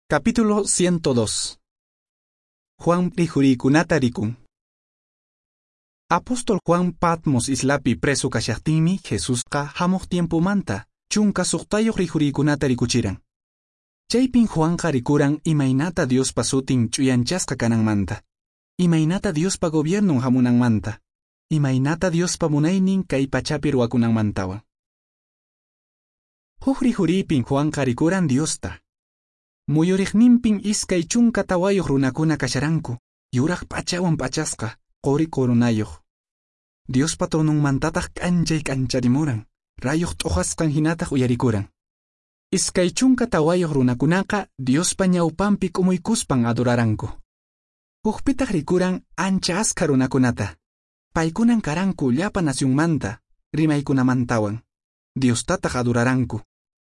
Capítulo 102. Juan rihuriykunata rikun. Apóstol Juan Patmos islapi preso kashaqtinmi Jesusqa hamuq tiempomanta 16 rihuriykunata rikuchiran. Chaypin Juanqa rikuran imaynata Diospa sutin ch'uyanchasqa kananmanta, imaynata Diospa gobiernon hamunanmanta, imaynata Diospa munaynin kay pachapi ruwakunanmantawan. Huk rihuriypin Juanqa rikuran Diosta. Muyuriqninpin 24 runakuna kasharanku, yuraq p'achawan p'achasqa, quri coronayuq. Diospa tronunmantataq k'anchay k'ancharimuran, rayuq t'uqasqan hinataq uyarikuran. 24 runakunaqa Diospa ñawpanpi k'umuykuspan adoraranku. Hukpitaq rikuran ancha askha runakunata. Paykunan karanku llapa nacionmanta, rimaykunamantawan. Diostataq adoraranku.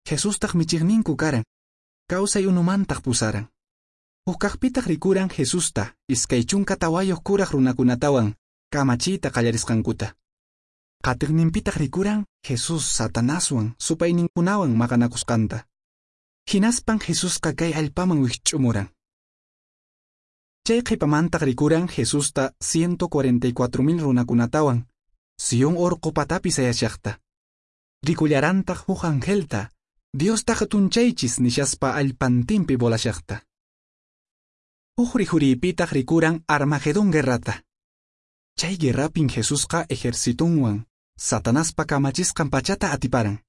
Jesustaq michiqninku karan. Kawsay unumantaq pusaran. Hukkaqpitaq rikuran Jesusta 24 kuraq runakunatawan kamachiyta qallarisqankuta. Qatiqninpitaq rikuran Jesús Satanaswan supayninkunawan maqanakusqanta. Hinaspan Jesusqa kay allpaman wikch'umuran. Chay qhipamantaq rikuran Jesusta 144,000 runakunatawan Sion orqo patapi sayashaqta. Rikullarantaq huk angelta Diosta hatunchaychis nishaspa allpantinpi volashaqta. Huk rihuriypitaq rikuran Armagedón guerrata. Chay guerrapin Jesusqa ejercitunwan Satanaspa kamachisqan pachata atiparan.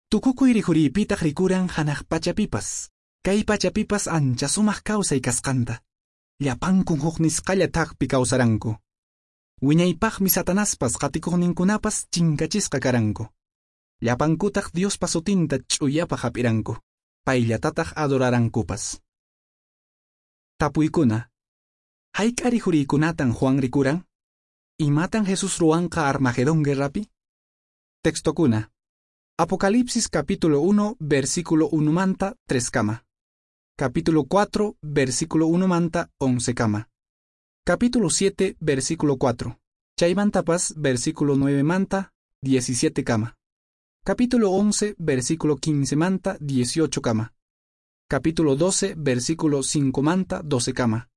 Tukukuy rihuriypitaq rikuran hanaq pachapipas, kay pachapipas ancha sumaq kawsay kasqanta. Llapankun huk nisqalla thakpi kawsaranku. Wiñaypaqmi Satanaspas qatikuqninkunapas chinkachisqa karanku. Llapankutaq Diospa sutinta ch'uyapaq hap'iranku, payllatataq adorarankupas. Tapuykuna. Hayk'a rihuriykunatan Juan rikuran? Imatan Jesús ruwanqa Armagedón guerrapi? Textokuna. Apocalipsis capítulo 1, versículo 1 manta 3 kama. Capítulo 4, versículo 1 manta 11 kama. Capítulo 7, versículo 4. Chaymantapas, versículo 9 manta 17 kama. Capítulo 11, versículo 15 manta 18 kama. Capítulo 12, versículo 5 manta 12 kama.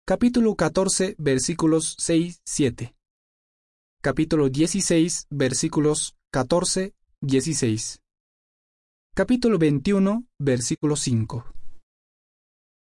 Capítulo 14, versículos 6, 7. Capítulo 16, versículos 14, 16. Capítulo 21, versículo 5.